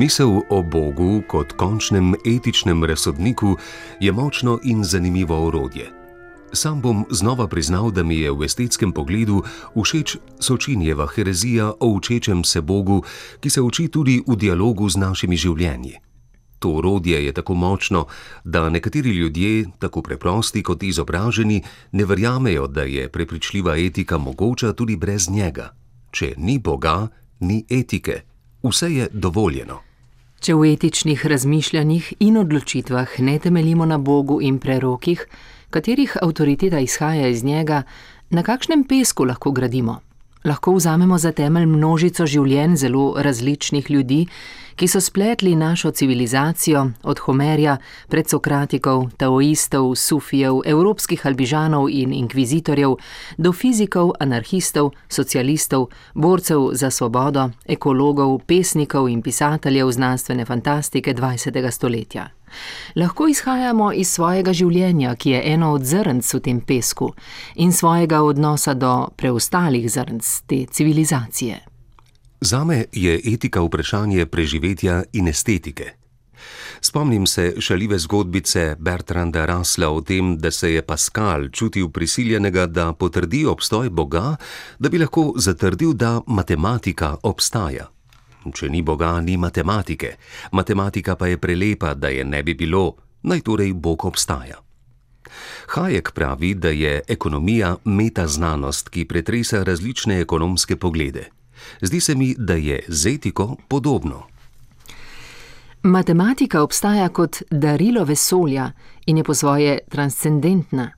Misel o Bogu kot končnem etičnem razsodniku je močno in zanimivo orodje. Sam bom znova priznal, da mi je v estetskem pogledu všeč Sočinjeva herezija o učečem se Bogu, ki se uči tudi v dialogu z našimi življenji. To orodje je tako močno, da nekateri ljudje, tako preprosti kot izobraženi, ne verjamejo, da je prepričljiva etika mogoča tudi brez njega. Če ni Boga, ni etike. Vse je dovoljeno. Če v etičnih razmišljanjih in odločitvah ne temeljimo na Bogu in prerokih, katerih avtoriteta izhaja iz njega, na kakšnem pesku lahko gradimo? Lahko vzamemo za temelj množico življenj zelo različnih ljudi, ki so spletli našo civilizacijo od Homerja, predsokratikov, taoistov, sufijev, evropskih albižanov in inkvizitorjev, do fizikov, anarhistov, socialistov, borcev za svobodo, ekologov, pesnikov in pisateljev znanstvene fantastike 20. stoletja. Lahko izhajamo iz svojega življenja, ki je eno od zrnc v tem pesku, in svojega odnosa do preostalih zrnc te civilizacije. Zame je etika vprašanje preživetja in estetike. Spomnim se šaljive zgodbice Bertranda Russella o tem, da se je Pascal čutil prisiljenega, da potrdi obstoj Boga, da bi lahko zatrdil, da matematika obstaja. Če ni Boga, ni matematike. Matematika pa je prelepa, da je ne bi bilo, naj torej Bog obstaja. Hayek pravi, da je ekonomija metaznanost, ki pretresa različne ekonomske poglede. Zdi se mi, da je z etiko podobno. Matematika obstaja kot darilo vesolja in je po svoje transcendentna.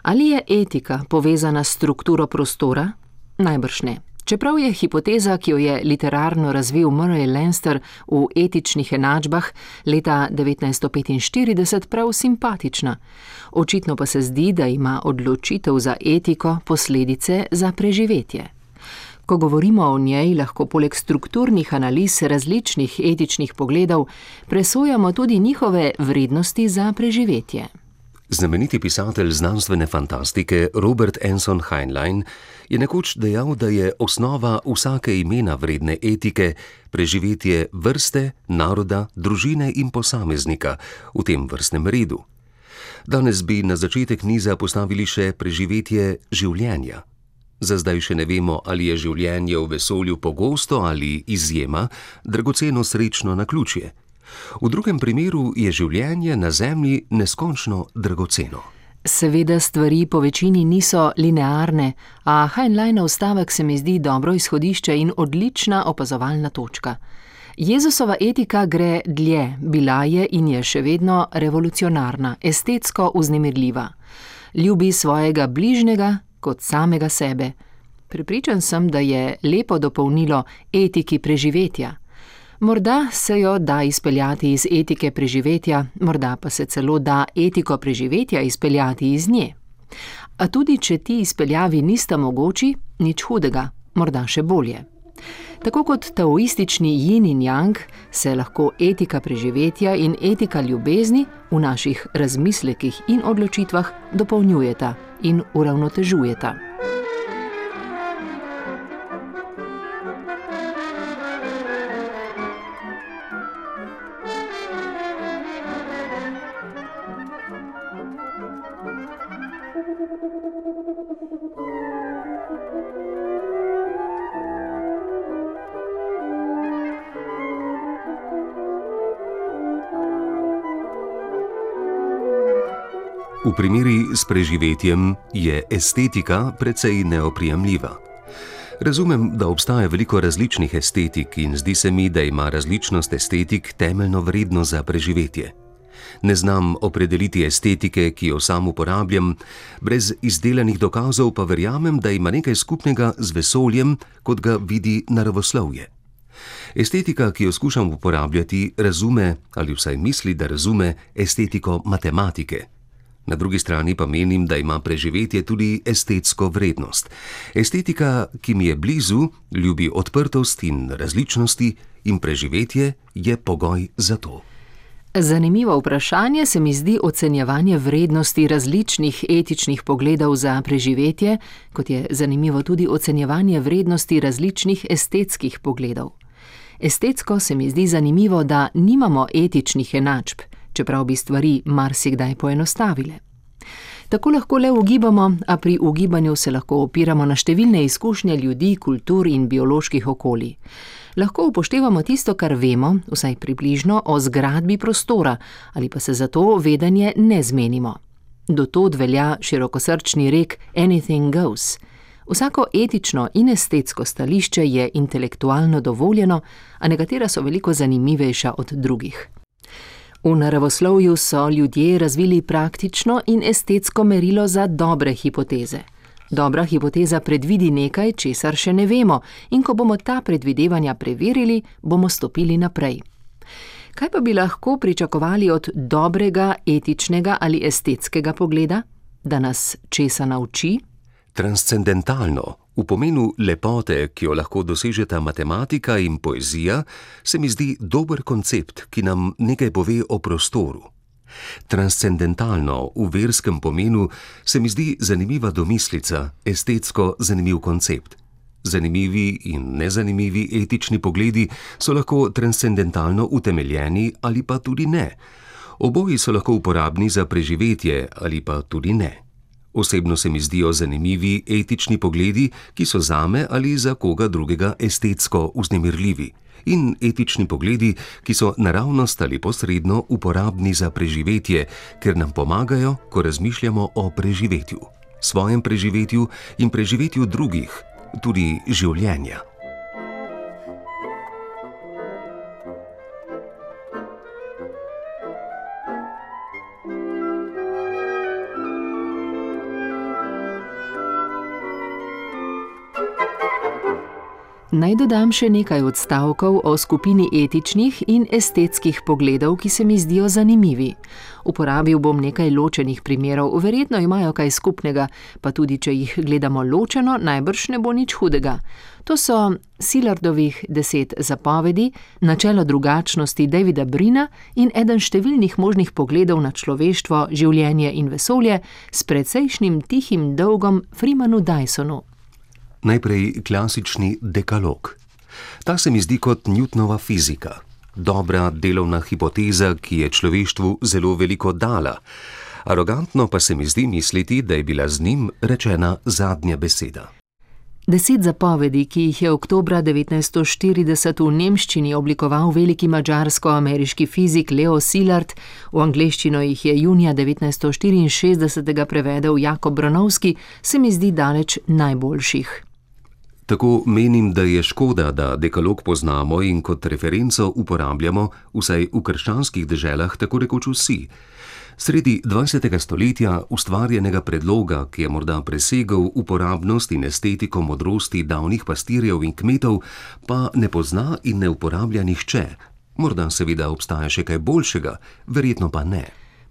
Ali je etika povezana s strukturo prostora? Najbrž ne. Čeprav je hipoteza, ki jo je literarno razvil Murray Leinster v etičnih enačbah leta 1945 prav simpatična. Očitno pa se zdi, da ima odločitev za etiko posledice za preživetje. Ko govorimo o njej, lahko poleg strukturnih analiz različnih etičnih pogledov presojamo tudi njihove vrednosti za preživetje. Znameniti pisatelj znanstvene fantastike Robert Anson Heinlein je nekoč dejal, da je osnova vsake imena vredne etike preživetje vrste, naroda, družine in posameznika v tem vrstnem redu. Danes bi na začetek niza postavili še preživetje življenja. Za zdaj še ne vemo, ali je življenje v vesolju pogosto ali izjema, dragoceno srečno naključje. V drugem primeru je življenje na Zemlji neskončno dragoceno. Seveda stvari po večini niso linearne, a Heinleinov stavek se mi zdi dobro izhodišče in odlična opazovalna točka. Jezusova etika gre dlje, bila je in je še vedno revolucionarna, estetsko vznemirljiva. Ljubi svojega bližnjega kot samega sebe. Prepričan sem, da je lepo dopolnilo etiki preživetja. Morda se jo da izpeljati iz etike preživetja, morda pa se celo da etiko preživetja izpeljati iz nje. A tudi če ti izpeljavi nista mogoči, nič hudega, morda še bolje. Tako kot taoistični yin in yang, se lahko etika preživetja in etika ljubezni v naših razmislekih in odločitvah dopolnjujeta in uravnotežujeta. V primeri s preživetjem je estetika precej neoprijemljiva. Razumem, da obstaja veliko različnih estetik in zdi se mi, da ima različnost estetik temeljno vrednost za preživetje. Ne znam opredeliti estetike, ki jo sam uporabljam, brez izdelanih dokazov pa verjamem, da ima nekaj skupnega z vesoljem, kot ga vidi naravoslovje. Estetika, ki jo skušam uporabljati, razume, ali vsaj misli, da razume, estetiko matematike. Na drugi strani pa menim, da ima preživetje tudi estetsko vrednost. Estetika, ki mi je blizu, ljubi odprtost in različnosti in preživetje je pogoj za to. Zanimivo vprašanje se mi zdi ocenjevanje vrednosti različnih etičnih pogledov za preživetje, kot je zanimivo tudi ocenjevanje vrednosti različnih estetskih pogledov. Estetsko se mi zdi zanimivo, da nimamo etičnih enačb, čeprav bi stvari marsikdaj poenostavile. Tako lahko le ugibamo, a pri ugibanju se lahko opiramo na številne izkušnje ljudi, kultur in bioloških okolij. Lahko upoštevamo tisto, kar vemo, vsaj približno, o zgradbi prostora, ali pa se zato vedenje ne zmenimo. Do tod velja širokosrčni rek anything goes. Vsako etično in estetsko stališče je intelektualno dovoljeno, a nekatera so veliko zanimivejša od drugih. V naravoslovju so ljudje razvili praktično in estetsko merilo za dobre hipoteze. Dobra hipoteza predvidi nekaj, česar še ne vemo, in ko bomo ta predvidevanja preverili, bomo stopili naprej. Kaj pa bi lahko pričakovali od dobrega, etičnega ali estetskega pogleda? Da nas česa nauči? Transcendentalno, v pomenu lepote, ki jo lahko dosežeta matematika in poezija, se mi zdi dober koncept, ki nam nekaj pove o prostoru. Transcendentalno, v verskem pomenu, se mi zdi zanimiva domislica, estetsko zanimiv koncept. Zanimivi in nezanimivi etični pogledi so lahko transcendentalno utemeljeni ali pa tudi ne. Oboji so lahko uporabni za preživetje ali pa tudi ne. Osebno se mi zdijo zanimivi etični pogledi, ki so zame ali za koga drugega estetsko vznemirljivi, in etični pogledi, ki so naravnost ali posredno uporabni za preživetje, ker nam pomagajo, ko razmišljamo o preživetju, svojem preživetju in preživetju drugih, tudi življenja. Naj dodam še nekaj odstavkov o skupini etičnih in estetskih pogledov, ki se mi zdijo zanimivi. Uporabil bom nekaj ločenih primerov, verjetno imajo kaj skupnega, pa tudi če jih gledamo ločeno, najbrž ne bo nič hudega. To so Sillardovih 10 zapovedi, načelo drugačnosti Davida Brina in eden številnih možnih pogledov na človeštvo, življenje in vesolje s precejšnjim tihim dolgom Freemanu Dysonu. Najprej klasični dekalog. Ta se mi zdi kot Newtonova fizika. Dobra delovna hipoteza, ki je človeštvu zelo veliko dala. Arogantno pa se mi zdi misliti, da je bila z njim rečena zadnja beseda. 10 zapovedi, ki jih je oktobra 1940 v nemščini oblikoval veliki madžarsko-ameriški fizik Leo Szilard, v angleščino jih je junija 1964 prevedel Jakob Bronowski, se mi zdi daleč najboljših. Tako menim, da je škoda, da dekalog poznamo in kot referenco uporabljamo, vsaj v krščanskih deželah, tako rekoč vsi. Sredi 20. stoletja ustvarjenega predloga, ki je morda presegel uporabnost in estetiko modrosti davnih pastirjev in kmetov, pa ne pozna in ne uporablja nihče. Morda seveda obstaja še kaj boljšega, verjetno pa ne.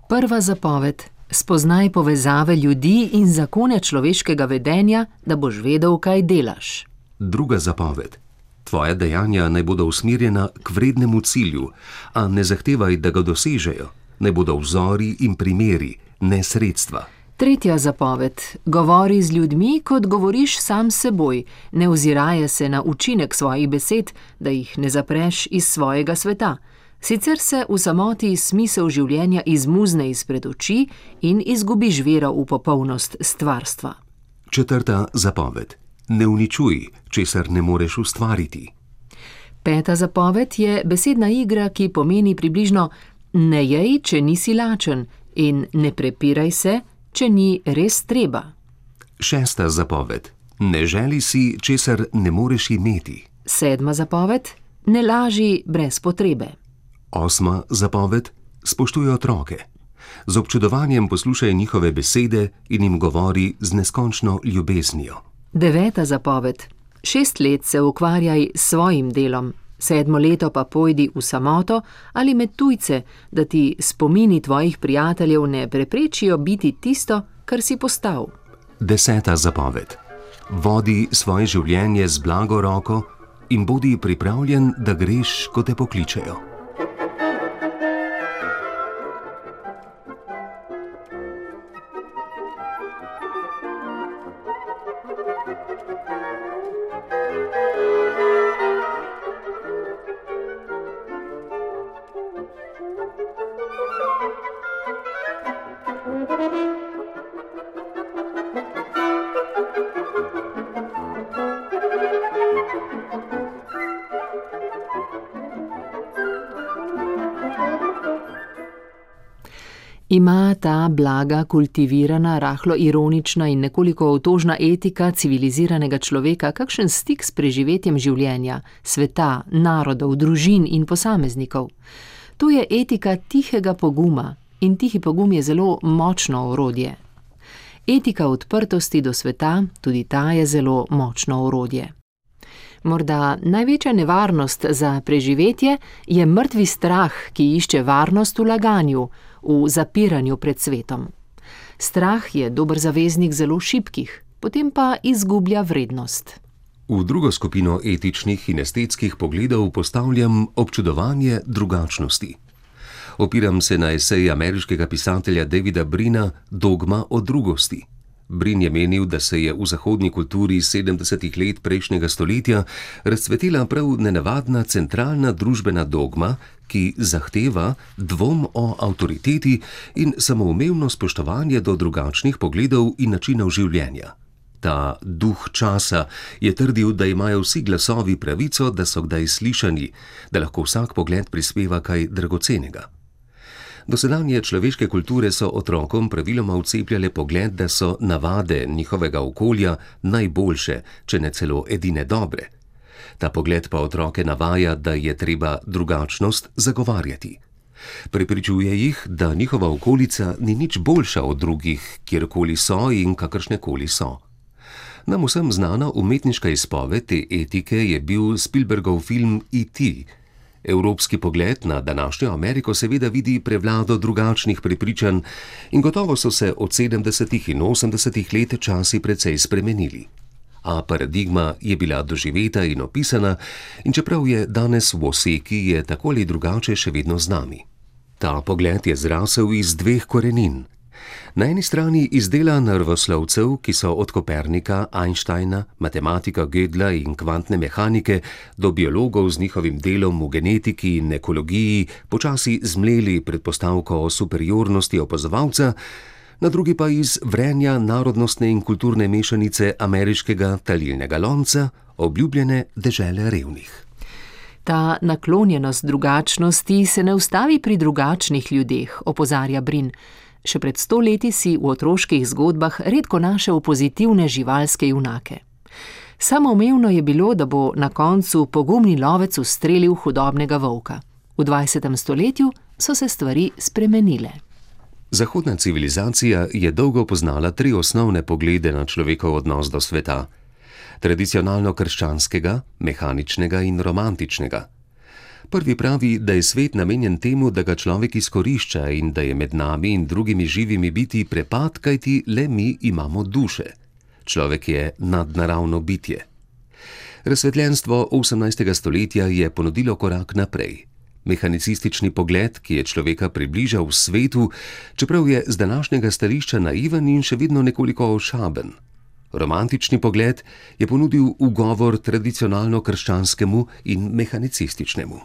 Prva zapoved. Spoznaj povezave ljudi in zakone človeškega vedenja, da boš vedel, kaj delaš. Druga zapoved. Tvoja dejanja naj bodo usmerjena k vrednemu cilju, a ne zahtevaj, da ga dosežejo. Naj bodo vzori in primeri, ne sredstva. Tretja zapoved. Govori z ljudmi, kot govoriš sam s seboj. Ne oziraje se na učinek svojih besed, da jih ne zapreš iz svojega sveta. Sicer se v samoti smisel življenja izmuzne izpred oči in izgubiš vero v popolnost stvarstva. Četrta zapoved. Ne uničuj, česar ne moreš ustvariti. Peta zapoved je besedna igra, ki pomeni približno ne jej, če nisi lačen, in ne prepiraj se, če ni res treba. Šesta zapoved. Ne želi si, česar ne moreš imeti. Sedma zapoved. Ne laži brez potrebe. Osma zapoved. Spoštuj otroke. Z občudovanjem poslušaj njihove besede in jim govori z neskončno ljubeznijo. Deveta zapoved. 6 let se ukvarjaj s svojim delom, 7. leto pa pojdi v samoto ali med tujce, da ti spomini tvojih prijateljev ne preprečijo biti tisto, kar si postal. 10. zapoved. Vodi svoje življenje z blago roko in bodi pripravljen, da greš, ko te pokličejo. Ima ta blaga, kultivirana, rahlo ironična in nekoliko otožna etika civiliziranega človeka kakšen stik s preživetjem življenja, sveta, narodov, družin in posameznikov? To je etika tihega poguma in tihi pogum je zelo močno orodje. Etika odprtosti do sveta, tudi ta je zelo močno orodje. Morda največja nevarnost za preživetje je mrtvi strah, ki išče varnost v laganju, v zapiranju pred svetom. Strah je dober zaveznik zelo šibkih, potem pa izgublja vrednost. V drugo skupino etičnih in estetskih pogledov postavljam občudovanje drugačnosti. Opiram se na esej ameriškega pisatelja Davida Brina Dogma o drugosti. Brin je menil, da se je v zahodni kulturi 70. let prejšnjega stoletja razcvetila prav nenavadna centralna družbena dogma, ki zahteva dvom o avtoriteti in samoumevno spoštovanje do drugačnih pogledov in načinov življenja. Ta duh časa je trdil, da imajo vsi glasovi pravico, da so kdaj slišani, da lahko vsak pogled prispeva kaj dragocenega. Dosedanje človeške kulture so otrokom praviloma vcepljale pogled, da so navade njihovega okolja najboljše, če ne celo edine dobre. Ta pogled pa otroke navaja, da je treba drugačnost zagovarjati. Prepričuje jih, da njihova okolica ni nič boljša od drugih, kjerkoli so in kakršnekoli so. Nam vsem znana umetniška izpoved te etike je bil Spielbergov film E.T. Evropski pogled na današnjo Ameriko seveda vidi prevlado drugačnih prepričanj in gotovo so se od 70. in 80. let časi precej spremenili. A paradigma je bila doživeta in opisana in čeprav je danes v oseki, je tako ali drugače še vedno z nami. Ta pogled je zrasel iz dveh korenin. Na eni strani iz dela naravoslovcev, ki so od Kopernika, Einsteina, matematika Gödla in kvantne mehanike do biologov z njihovim delom v genetiki in ekologiji počasi zmleli predpostavko o superiornosti opazovalca, na drugi pa iz vrenja narodnostne in kulturne mešanice ameriškega talilnega lonca, obljubljene dežele revnih. Ta naklonjenost drugačnosti se ne ustavi pri drugačnih ljudeh, opozarja Brin. Še pred 100 leti si v otroških zgodbah redko našel pozitivne živalske junake. Samoumevno je bilo, da bo na koncu pogumni lovec ustrelil hudobnega volka. V 20. stoletju so se stvari spremenile. Zahodna civilizacija je dolgo poznala 3 osnovne poglede na človekov odnos do sveta. Tradicionalno krščanskega, mehaničnega in romantičnega. Prvi pravi, da je svet namenjen temu, da ga človek izkorišča in da je med nami in drugimi živimi biti prepad, kajti le mi imamo duše. Človek je nadnaravno bitje. Razsvetljenstvo 18. stoletja je ponudilo korak naprej. Mehanicistični pogled, ki je človeka približal v svetu, čeprav je z današnjega stališča naiven in še vedno nekoliko ošaben. Romantični pogled je ponudil ugovor tradicionalno krščanskemu in mehanicističnemu.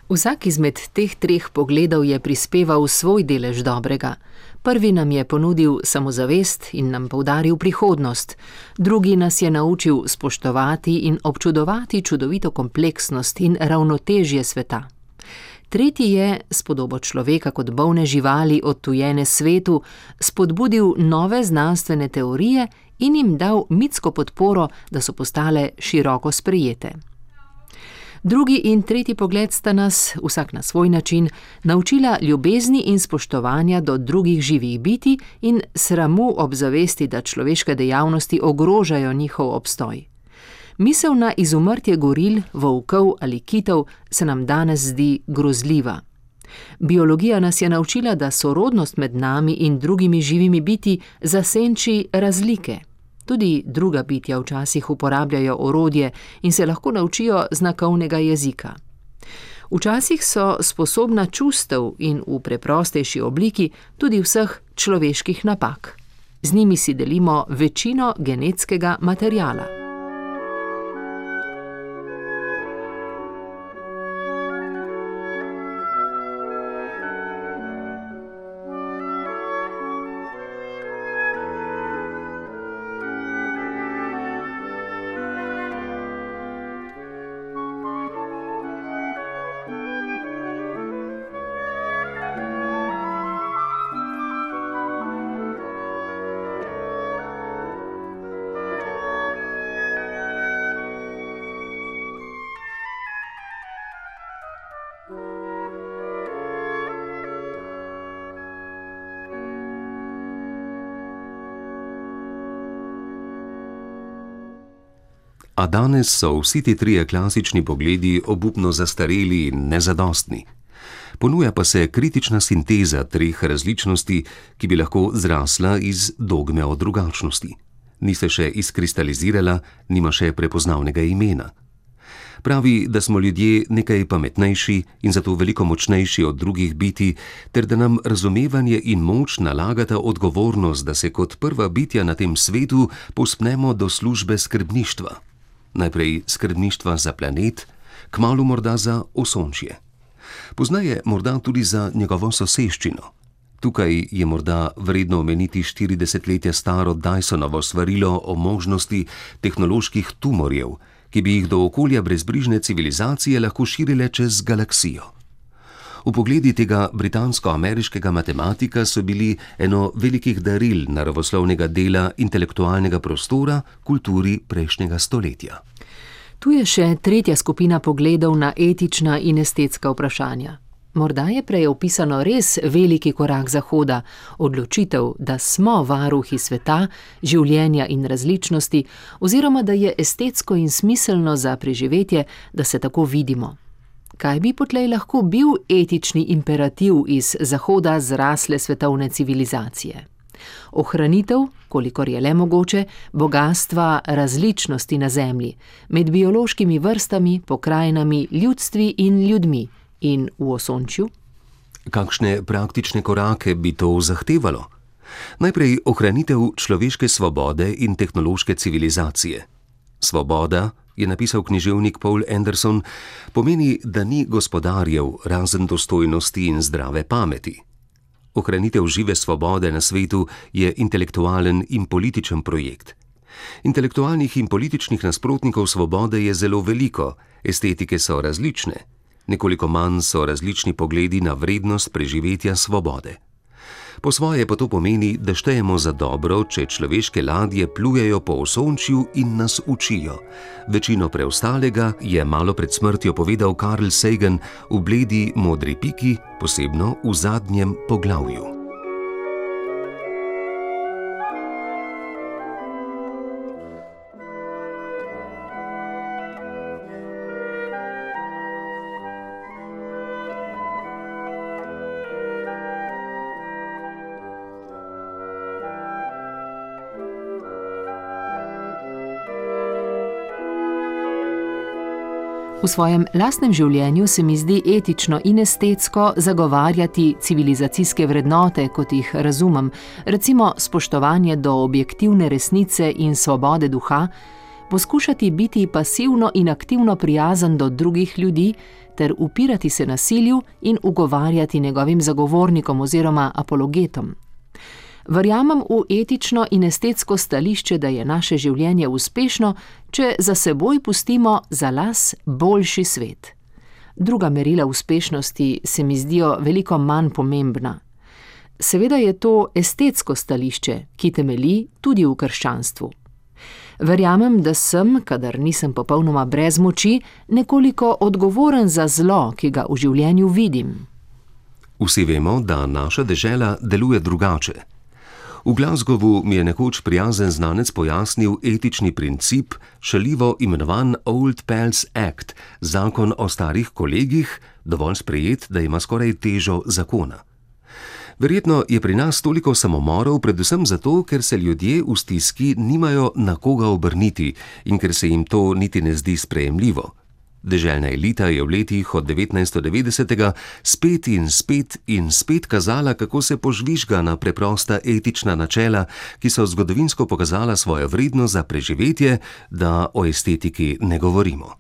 Vsak izmed teh 3 pogledov je prispeval svoj delež dobrega. Prvi nam je ponudil samozavest in nam poudaril prihodnost, drugi nas je naučil spoštovati in občudovati čudovito kompleksnost in ravnotežje sveta. Tretji je, s podobo človeka kot bolne živali odtujene svetu, spodbudil nove znanstvene teorije in jim dal mitsko podporo, da so postale široko sprejete. Drugi in tretji pogled sta nas, vsak na svoj način, naučila ljubezni in spoštovanja do drugih živih bitij in sramu ob zavesti, da človeške dejavnosti ogrožajo njihov obstoj. Misel na izumrtje goril, volkov ali kitov se nam danes zdi grozljiva. Biologija nas je naučila, da sorodnost med nami in drugimi živimi bitji zasenči razlike. Tudi druga bitja včasih uporabljajo orodje in se lahko naučijo znakovnega jezika. Včasih so sposobna čustev in v preprostejši obliki tudi vseh človeških napak. Z njimi si delimo večino genetskega materiala. A danes so vsi ti trije klasični pogledi obupno zastareli in nezadostni. Ponuja pa se kritična sinteza treh različnosti, ki bi lahko zrasla iz dogme o drugačnosti. Ni se še izkristalizirala, nima še prepoznavnega imena. Pravi, da smo ljudje nekaj pametnejši in zato veliko močnejši od drugih bitij, ter da nam razumevanje in moč nalagata odgovornost, da se kot prva bitja na tem svetu povzpnemo do službe skrbništva. Najprej skrbništva za planet, kmalu morda za osončje. Pozneje morda tudi za njegovo soseščino. Tukaj je morda vredno omeniti 40-letja staro Dysonovo svarilo o možnosti tehnoloških tumorjev, ki bi jih do okolja brezbrižne civilizacije lahko širile čez galaksijo. Vpogledi tega britansko-ameriškega matematika so bili eno velikih daril naravoslovnega dela intelektualnega prostora kulturi prejšnjega stoletja. Tu je še tretja skupina pogledov na etična in estetska vprašanja. Morda je prej opisano res veliki korak Zahoda, odločitev, da smo varuhi sveta, življenja in različnosti, oziroma da je estetsko in smiselno za preživetje, da se tako vidimo. Kaj bi potlej lahko bil etični imperativ iz Zahoda zrasle svetovne civilizacije? Ohranitev, kolikor je le mogoče, bogastva različnosti na Zemlji, med biološkimi vrstami, pokrajinami, ljudstvi in ljudmi. In v osončju? Kakšne praktične korake bi to zahtevalo? Najprej ohranitev človeške svobode in tehnološke civilizacije. Svoboda, je napisal književnik Poul Anderson, pomeni, da ni gospodarjev razen dostojnosti in zdrave pameti. Ohranitev žive svobode na svetu je intelektualen in političen projekt. Intelektualnih in političnih nasprotnikov svobode je zelo veliko, estetike so različne. Nekoliko manj so različni pogledi na vrednost preživetja svobode. Po svoje pa to pomeni, da štejemo za dobro, če človeške ladje plujejo po osončju in nas učijo. Večino preostalega je malo pred smrtjo povedal Carl Sagan v Bledi modri piki, posebno v zadnjem poglavju. V svojem lastnem življenju se mi zdi etično in estetsko zagovarjati civilizacijske vrednote, kot jih razumem, recimo spoštovanje do objektivne resnice in svobode duha, poskušati biti pasivno in aktivno prijazen do drugih ljudi ter upirati se nasilju in ugovarjati njegovim zagovornikom oziroma apologetom. Verjamem v etično in estetsko stališče, da je naše življenje uspešno, če za seboj pustimo za las boljši svet. Druga merila uspešnosti se mi zdijo veliko manj pomembna. Seveda je to estetsko stališče, ki temelji tudi v krščanstvu. Verjamem, da sem, kadar nisem popolnoma brez moči, nekoliko odgovoren za zlo, ki ga v življenju vidim. Vsi vemo, da naša dežela deluje drugače. V Glasgowu mi je nekoč prijazen znanec pojasnil etični princip, šaljivo imenovan Old Pals Act, zakon o starih kolegih, dovolj sprejet, da ima skoraj težo zakona. Verjetno je pri nas toliko samomorov predvsem zato, ker se ljudje v stiski nimajo na koga obrniti in ker se jim to niti ne zdi sprejemljivo. Deželna elita je v letih od 1990 spet in spet kazala, kako se požvižga na preprosta etična načela, ki so zgodovinsko pokazala svojo vrednost za preživetje, da o estetiki ne govorimo.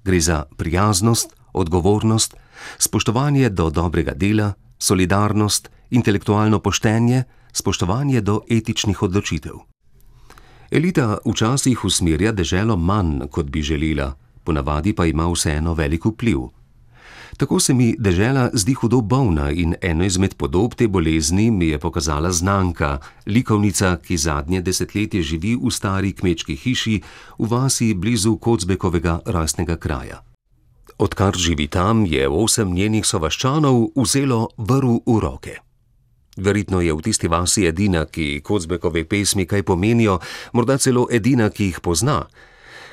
Gre za prijaznost, odgovornost, spoštovanje do dobrega dela, solidarnost, intelektualno poštenje, spoštovanje do etičnih odločitev. Elita včasih usmerja deželo manj, kot bi želela, ponavadi pa ima vseeno velik vpliv. Tako se mi dežela zdi hudo bolna in eno izmed podob te bolezni mi je pokazala znanka, likovnica, ki zadnje desetletje živi v stari kmečki hiši v vasi blizu Kocbekovega rojstnega kraja. Odkar živi tam, je 8 njenih sovaščanov vzelo vrv v roke. Verjetno je v tisti vasi edina, ki Kocbekove pesmi kaj pomenijo, morda celo edina, ki jih pozna.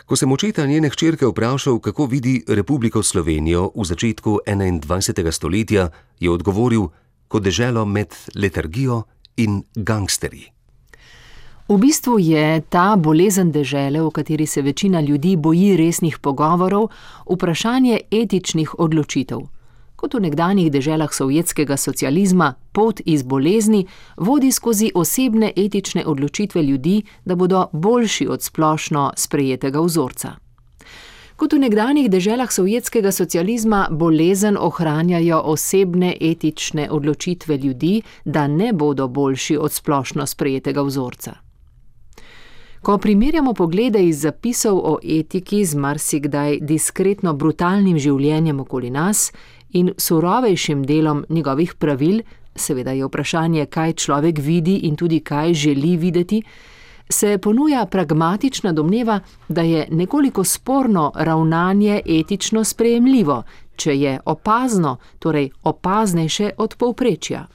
Ko sem očeta njene hčerke vprašal, kako vidi Republiko Slovenijo v začetku 21. stoletja, je odgovoril, kot deželo med letargijo in gangsterji. V bistvu je ta bolezen dežele, v kateri se večina ljudi boji resnih pogovorov, vprašanje etičnih odločitev. Kot v nekdanjih deželah sovjetskega socializma, pot iz bolezni vodi skozi osebne etične odločitve ljudi, da bodo boljši od splošno sprejetega vzorca. Kot v nekdanjih deželah sovjetskega socializma bolezen ohranjajo osebne etične odločitve ljudi, da ne bodo boljši od splošno sprejetega vzorca. Ko primerjamo poglede iz zapisov o etiki z marsikdaj diskretno brutalnim življenjem okoli nas in surovejšim delom njegovih pravil, seveda je vprašanje, kaj človek vidi in tudi kaj želi videti, se ponuja pragmatična domneva, da je nekoliko sporno ravnanje etično sprejemljivo, če je opazno, torej opaznejše od povprečja.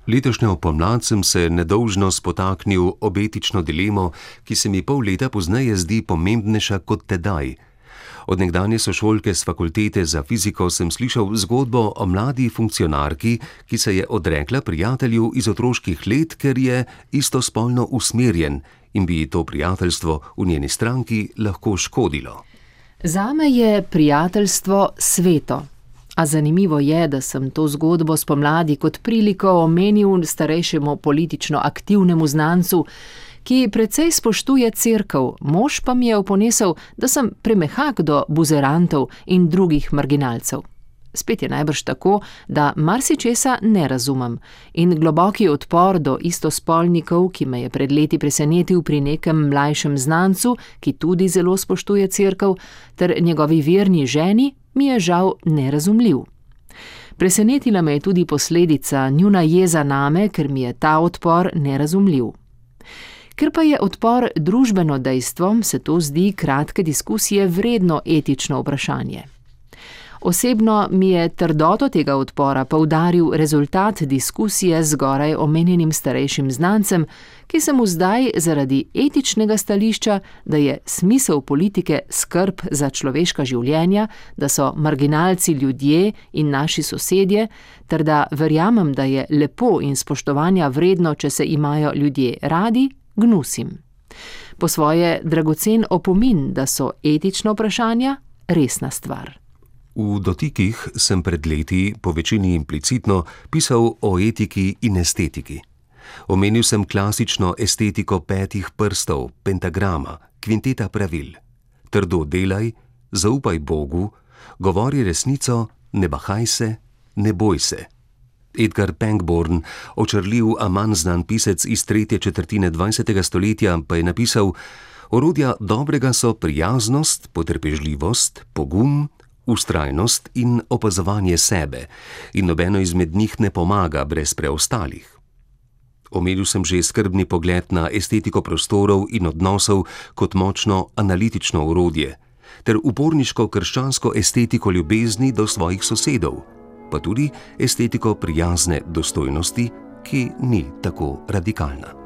Letošnjo pomlad sem se nedolžno spotaknil ob etično dilemo, ki se mi pol leta pozneje zdi pomembnejša kot tedaj. Od nekdanje sošolke s fakultete za fiziko sem slišal zgodbo o mladi funkcionarki, ki se je odrekla prijatelju iz otroških let, ker je istospolno usmerjen in bi to prijateljstvo v njeni stranki lahko škodilo. Zame je prijateljstvo sveto. A zanimivo je, da sem to zgodbo spomladi kot priliko omenil starejšemu politično aktivnemu znancu, ki precej spoštuje cerkev, mož pa mi je oponesel, da sem premehak do buzerantov in drugih marginalcev. Spet je najbrž tako, da marsičesa ne razumem in globoki odpor do istospolnikov, ki me je pred leti presenetil pri nekem mlajšem znancu, ki tudi zelo spoštuje cerkev, ter njegovi verni ženi, mi je žal nerazumljiv. Presenetila me je tudi posledica njuna jeza name, ker mi je ta odpor nerazumljiv. Ker pa je odpor družbeno dejstvo, se to zdi kratke diskusije vredno etično vprašanje. Osebno mi je trdoto tega odpora poudaril rezultat diskusije z zgoraj omenjenim starejšim znancem, ki se mu zdaj zaradi etičnega stališča, da je smisel politike skrb za človeška življenja, da so marginalci ljudje in naši sosedje, ter da verjamem, da je lepo in spoštovanja vredno, če se imajo ljudje radi, gnusim. Po svoje dragocen opomin, da so etična vprašanja resna stvar. V dotikih sem pred leti, po večini implicitno, pisal o etiki in estetiki. Omenil sem klasično estetiko 5 prstov, pentagrama, kvinteta pravil. Trdo delaj, zaupaj Bogu, govori resnico, ne bahaj se, ne boj se. Edgar Pangborn, očarljiv, a manj znan pisec iz 3. četrtine 20. stoletja, pa je napisal: orodja dobrega so prijaznost, potrpežljivost, pogum, vztrajnost in opazovanje sebe, in nobeno izmed njih ne pomaga brez preostalih. Omenil sem že skrbni pogled na estetiko prostorov in odnosov kot močno analitično orodje, ter uporniško krščansko estetiko ljubezni do svojih sosedov, pa tudi estetiko prijazne dostojnosti, ki ni tako radikalna.